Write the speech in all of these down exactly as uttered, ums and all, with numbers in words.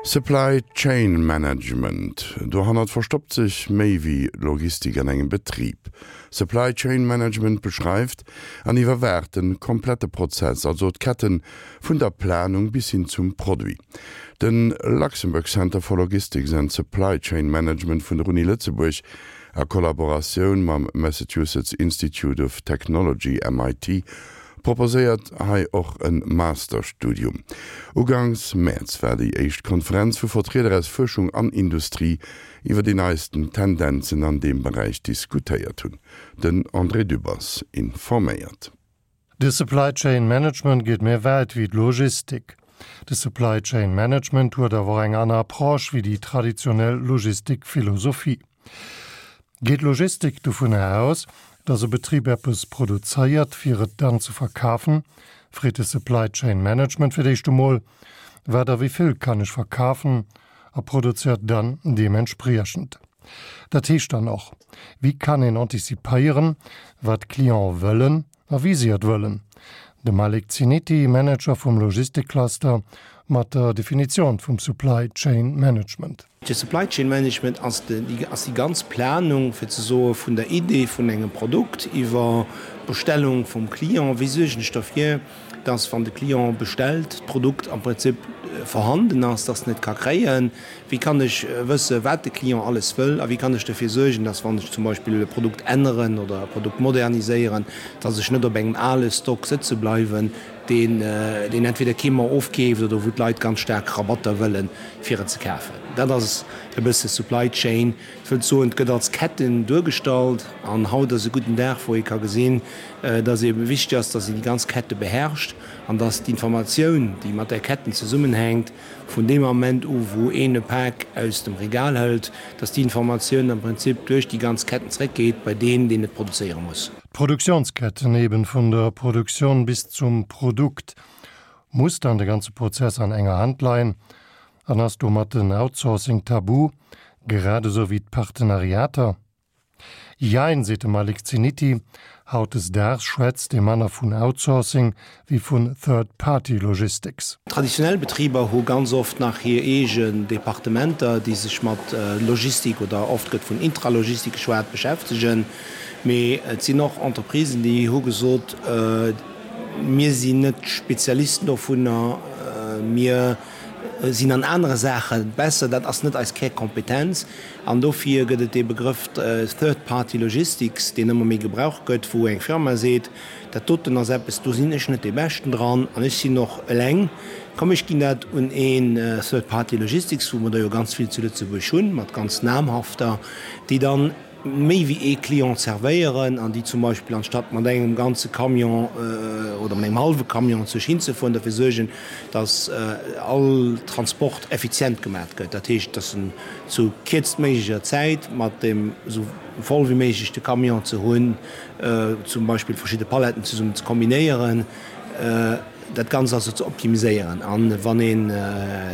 Supply Chain Management, dohannert verstoppt sech méi wéi Logistik an engem Betrib. Supply Chain Management beschreift an iwwerwaacht de komplette Prozess, also d'Ketten vun der Planung bis hin zum Produit. De Luxembourg Center for Logistics and Supply Chain Management vun der Uni Lëtzebuerg a Kollaboratioun mam Massachusetts Institute of Technology M I T proposéiert hei och e Masterstudium. Ugangs Mäerz war déi éischt Konferenz, wou Vertrieder aus Fuerschung an Industrie iwwer déi neisten Tendenzen an deem Beräich diskutéiert hunn. Den André Dübbers informéiert. De Supply Chain Management geet méi wäit wéi d'Logistik. De Supply Chain Management huet awer eng aner Approche wéi déi traditionell Logistikphilosophie. Geet Logistik dovun aus, dass e Betrib eppes produzéiert, fir et dann ze verkafen, freet de Supply Chain Management fir d'éischt emol, wat a wéi vill kann ech verkafen, a produzéiert dann deementspriechend. Dat heescht dann och, wéi kann een antizipéieren, wat d'Clientë wëllen a wéi si et wëllen. De Malik Ziniti, Manager vum Logistikcluster, mat der Definitioun vum Supply Chain Management. De Supply Chain Management ass déi, ass déi ganz Planung fir ze soe vun der Idee vun engem Produkt iwwer Bestellung vum Client, wéi suergen ech dofir, dass wann de Client bestellt, d'Produkt am Prinzip vorhanden ass, dass en et ka kréien, wéi kann ech wësse wat de Client alles wëll a wéi kann ech dofir suergen, dass wann ech zum Beispill e Produkt änneren oder e Produkt moderniséieren, dass ech net op engem ale Stock sëtze bleiwen, deen, deen entweder kee méi ofkeeft oder wou d'Leit ganz staark Rabatter wëllen fir et ze kafen. Dat ass e bësse Supply Chain. Ech wëll soen, et gëtt als Ketten duergestallt an haut ass e gudden Dag, wou ee ka gesinn, dass ebe wichteg ass, dass een déi ganz Kette beherrscht an dass d'Informatioun, déi mat där Ketten zesummenhänkt, vun deem Ament u wou een e Pak aus dem Regal hëlt, dass déi Informatioun am Prinzip duerch déi ganz Ketten zréckgeet bei deen, deen et produzéiere muss. D'Produktiounsketten eben vun der Produktioun bis zum Produkt muss dann de ganze Prozess an enger Hand leien, an ass domat den Outsourcing tabu, grad esou wéi d'Partenariater? Jein, seet de Malik Ziniti, hautdesdaags schwätzt ee manner vun Outsourcing wéi vun Third-Party Logistics. Traditionell Betriber hu ganz oft nach hir eegen Departementer, déi sech mat Logistik oder oft gëtt vun Intralogistik geschwat, beschäftegen. Mee et sinn och Entreprisen, déi hu gesot, mir sinn net Spezialisten dovunner, mir sinn an anere Saache besser, dat ass net eis Kärkompetenz. An dofir gëtt et dee Begrëff Third-Party Logistics, deen ëmmer méi gebraucht gëtt, wou eng Firma seet, dat doten ass eppes, do sinn ech net dee Beschten dran an ech sinn och eleng, komm ech ginn dat un een Third-Party Logistics, wou mer der jo ganz vill zu Lëtzebuerg hunn, mat ganz namhafter, déi dann méi wéi ee Client zerwéieren an déi zum Beispill anstatt mat engem ganze Camion oder mat engem hallwe Camion sech hinzefueren, dofir suergen, dass all Transport effizient gemat gëtt. Dat heescht, dass en zu kierztméiglecher Zäit mat deem esou voll wéi méiglech de Camion ze hunn, zum Beispill verschidde Paletten zesummen ze kombinéieren, dat Ganzt also ze optimiséieren. An wann een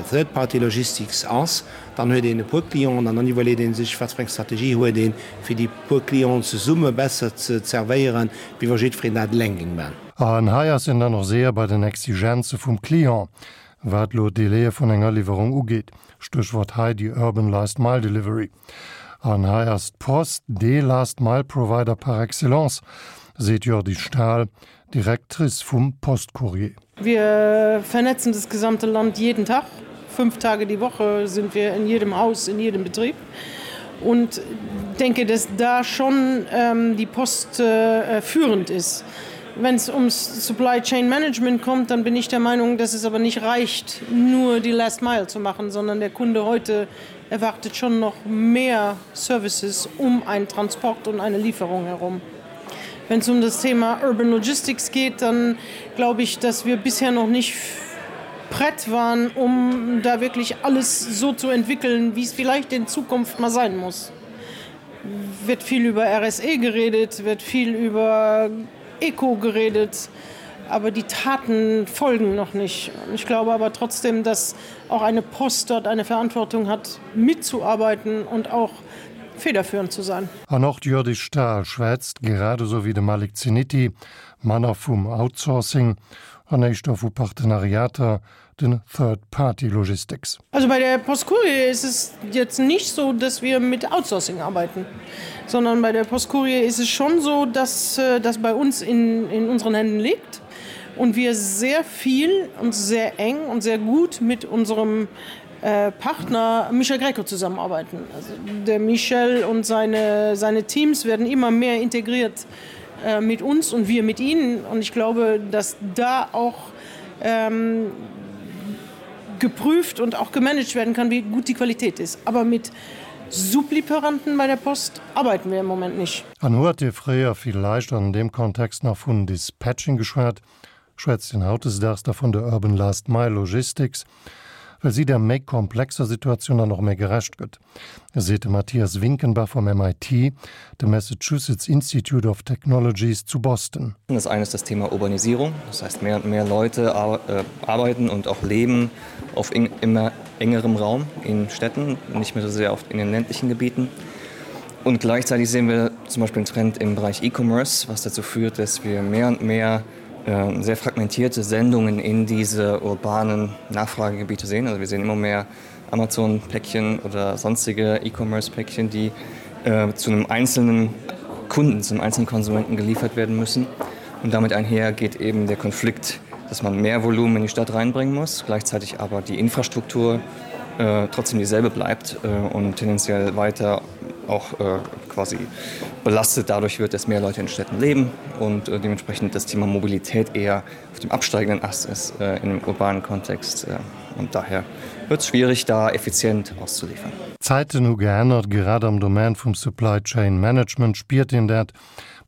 Third Party Logistics ass, dann huet een e puer Clienten an dann iwwerleet ee sech, wat fir eng Strategie huet een, fir déi puer Clienten zesumme besser ze zerwéieren, wéi wa jiddwereen dat eleng géing man. An hei ass een dann och séier bei den Exigenze vum Client, wat elo d'Délaië vun enger Liwwerung ugeet, Stéchwuert hei déi Urban Last Mile Delivery. An hei ass d'Post dee Last Mile Provider par excellence, seet Jördis Stahl, Directrice vum Postcourrier. Wir vernetzen das gesamte Land jeden Tag. Fünf Tage die Woche sind wir in jedem Haus, in jedem Betrieb und denke, dass da schon ähm, die Post äh, führend ist. Wenn es ums Supply Chain Management kommt, dann bin ich der Meinung, dass es aber nicht reicht, nur die Last Mile zu machen, sondern der Kunde heute erwartet schon noch mehr Services um einen Transport und eine Lieferung herum. Wenn es um das Thema Urban Logistics geht, dann glaube ich, dass wir bisher noch nicht prett waren, um da wirklich alles so zu entwickeln, wie es vielleicht in Zukunft mal sein muss. Wird viel über R S E geredet, wird viel über Eco geredet, aber die Taten folgen noch nicht. Ich glaube aber trotzdem, dass auch eine Post dort eine Verantwortung hat, mitzuarbeiten und auch federführend zu sein. An och d'Hjördis Stahl schwätzt, grad esou wéi de Malik Zeniti, manner vum Outsourcing an éischter vu Partenariater, den Third-Party Logistics. Also bei der Post Courier ist es jetzt nicht so, dass wir mit Outsourcing arbeiten, sondern bei der Post Courier ist es schon so, dass äh, das bei uns in, in unseren Händen liegt und wir sehr viel und sehr eng und sehr gut mit unserem äh, Partner Michel Greco zusammenarbeiten. Also der Michel und seine, seine Teams werden immer mehr integriert äh, mit uns und wir mit ihnen. Und ich glaube, dass da auch ähm, geprüft und auch gemanagt werden kann, wie gut die Qualität ist. Aber mit Sublieferanten bei der Post arbeiten wir im Moment nicht. An huet Dir fréier villäicht an deem Kontext nach vun Dispatching geschwat, schwätzt een hautdesdaags da vun der Urban Last Mile Logistics, well si der méi komplexer Situatioun dann och méi gerecht gëtt, seet de Matthias Winkenbach vum M I T, dem Massachusetts Institute of Technologies zu Boston. Das eine ist das Thema Urbanisierung, das heißt, mehr und mehr Leute äh, arbeiten und auch leben auf immer engerem Raum in Städten, nicht mehr so sehr oft in den ländlichen Gebieten. Und gleichzeitig sehen wir zum Beispiel einen Trend im Bereich E-Commerce, was dazu führt, dass wir mehr und mehr äh, sehr fragmentierte Sendungen in diese urbanen Nachfragegebiete sehen. Also wir sehen immer mehr Amazon-Päckchen oder sonstige E-Commerce-Päckchen, die äh, zu einem einzelnen Kunden, zum einzelnen Konsumenten geliefert werden müssen. Und damit einher geht eben der Konflikt, dass man mehr Volumen in die Stadt reinbringen muss, gleichzeitig aber die Infrastruktur äh, trotzdem dieselbe bleibt äh, und tendenziell weiter auch äh, quasi belastet dadurch wird, dass mehr Leute in Städten leben und äh, dementsprechend das Thema Mobilität eher auf dem absteigenden Ast ist äh, im urbanen Kontext äh, und daher wird es schwierig, da effizient auszuliefern. D'Zäiten hu geännert, grad am Domaine vum Supply Chain Management spiert een dat,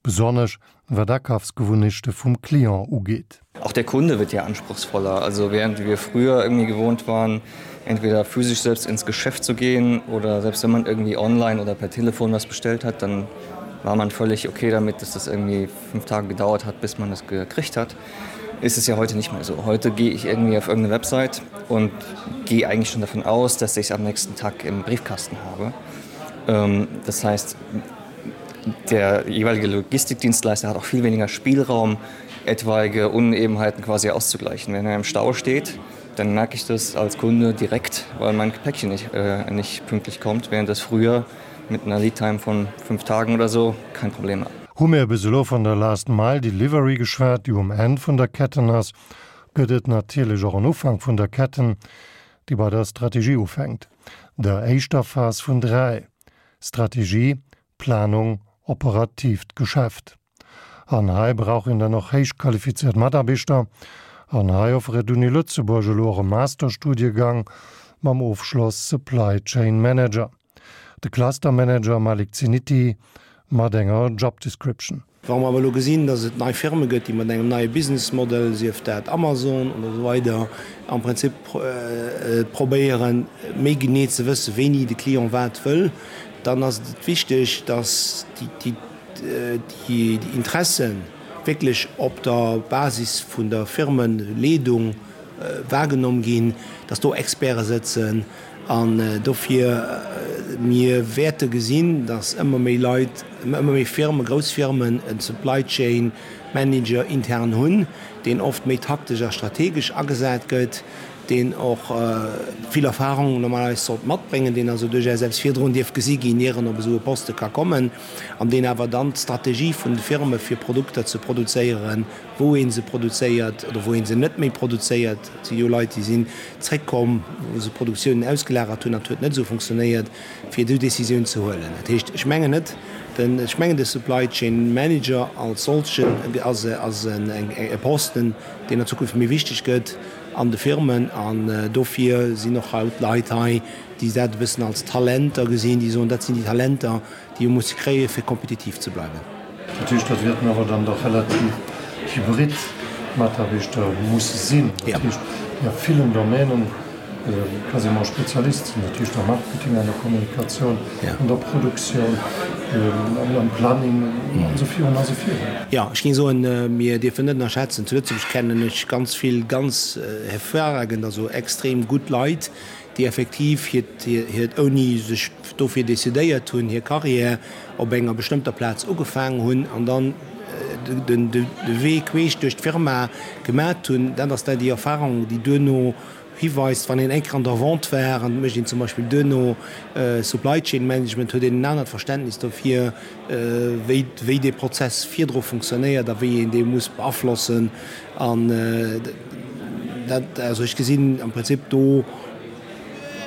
besonnesch wat d'Akafsgewunnechte vum Client ugeet. Auch der Kunde wird ja anspruchsvoller. Also während wir früher irgendwie gewohnt waren, entweder physisch selbst ins Geschäft zu gehen oder selbst wenn man irgendwie online oder per Telefon was bestellt hat, dann war man völlig okay damit, dass das irgendwie fünf Tage gedauert hat, bis man das gekriegt hat. Ist es ja heute nicht mehr so. Heute gehe ich irgendwie auf irgendeine Website und gehe eigentlich schon davon aus, dass ich es am nächsten Tag im Briefkasten habe. Ähm, das heißt, der jeweilige Logistikdienstleister hat auch viel weniger Spielraum, etwaige Unebenheiten quasi auszugleichen. Wenn er im Stau steht, dann merke ich das als Kunde direkt, weil mein Päckchen nicht, äh, nicht pünktlich kommt, während das früher mit einer Leadtime von fünf Tagen oder so kein Problem war. Hu mir bis elo vun der Last Mile Delivery geschwat, déi um Enn vun der Ketten ass, gëtt et natierlech och en Ufank vun der Ketten, déi bei der Strategie ufänkt. Der éischter Phas vun dräi: Strategie, Planung, operatiivt Geschäft. An hei brauch een dann och héich qualifizéiert Mataarbechter, an hei offréiert d'Uni Lëtzebuerg elo och e Masterstudiegang mam Ofschloss Supply Chain Manager. De Clustermanager Malik Zeniti mat enger Job Description. Wa mer awer elo gesinn, datt et nei Firme gëtt, déi mat engem neie Business Model, sief dat Amazon oder esou weider, am Prinzip probéieren, méi genee ze wëssen, wéini de Client wat wëll, dann ass et wichteg, datt déi Interessen wierklech op der Basis vun der Firmeleedung wahrgenommen ginn, datt do Experte sëtzen. An dofir, mir wäerte gesinn, datt ëmmer méi Leit, ëmmer méi Firmen, grouss Firmen en Supply Chain Manager intern hunn, deen oft méi taktesch a strategesch agesat gëtt, deen och vill Erfahrung normalerweis sollt matbréngen, deen also duerchaus selbst virdrun dierf gesi ginn, ier en op esou e Poste ka kommen, an deen awer dann d'Strategie vun de Firme fir Produkter ze produzéieren, wou ee se produzéiert oder wou ee se net méi produzéiert, et si jo Leit, déi sinn zréckkomm, wou se Produktiounen ausgelagert hunn, dat huet net esou funktionéiert, fir esou Décisioun ze huelen. Dat heescht, ech mengen net, den, ech mengen de Supply Chain Manager als solchen ass e Posten, deen an Zukunft méi wichteg gëtt an de Firmen an dofir sinn och haut Leit hei, déi dat e bëssen als Talenter gesinn, déi soen, dat sinn déi Talenter, déi ee muss kréien, fir kompetitiv ze bleiwen. Dat heescht, dat wäerten awer dann dach relativ hybrid Mataarbechter musse sinn, dat heescht, déi a villen Domänen quasiment Spezialist sinn, dat heescht am Marketing, an der Kommunikatioun, an der Produktioun, am Planning an esou virun a sou virun. Jo, ech géing soen, mir dierfen net ënnerschätzen, zu Lëtzebuerg kennen ech ganz vill ganz hervorragend, also extrem gutt Leit, déi effektiv hiert, hiert ouni sech dofir decidéiert hunn, hir Karriär op enger bestëmmter Plaz ugefaangen hunn an dann den, de, de Wee queesch duerch d'Firma gemat hunn. Dat ass da déi Erfahrung, déi duerno hiweist, wann een eng Kéier an der Vente war an mécht een zum Beispill duerno Supply Chain Management, huet een en anert Verständnis dofir, wéi, wéi dee Prozess virdru funktionéiert a wéi een dee muss beaflossen. An dat, also ech gesinn am Prinzip do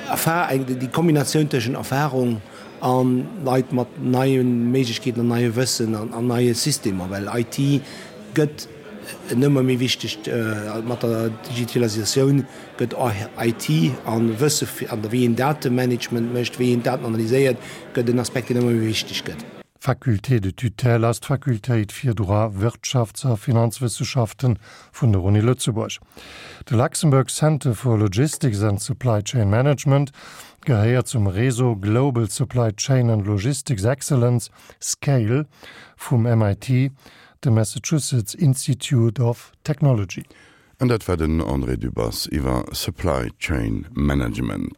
Erfahr-, déi Kombinatioun tëschent Erfahrung a Leit mat neie Méiglechkeeten an neie Wëssen an, an neie Systemer, well I T gëtt en ëmmer méi wichtegt, mat der Digitalisatioun gëtt I T an Wësse an wéi een Datemanagement mécht, wéi een Daten analyséiert, gëtt en Aspekt, deen ëmmer méi wichteg gëtt. Faculté de tutelle ass d'Fakultéit fir Droit, Wirtschafts a Finanzwëssenschaften vun der Uni Lëtzebuerg. De Luxembourg Center for Logistics and Supply Chain Management gehéiert zum Réseau Global Supply Chain and Logistics Excellence SCALE vum M I T, dem Massachusetts Institute of Technology. An dat war den André Dübbers iwwer Supply Chain Management.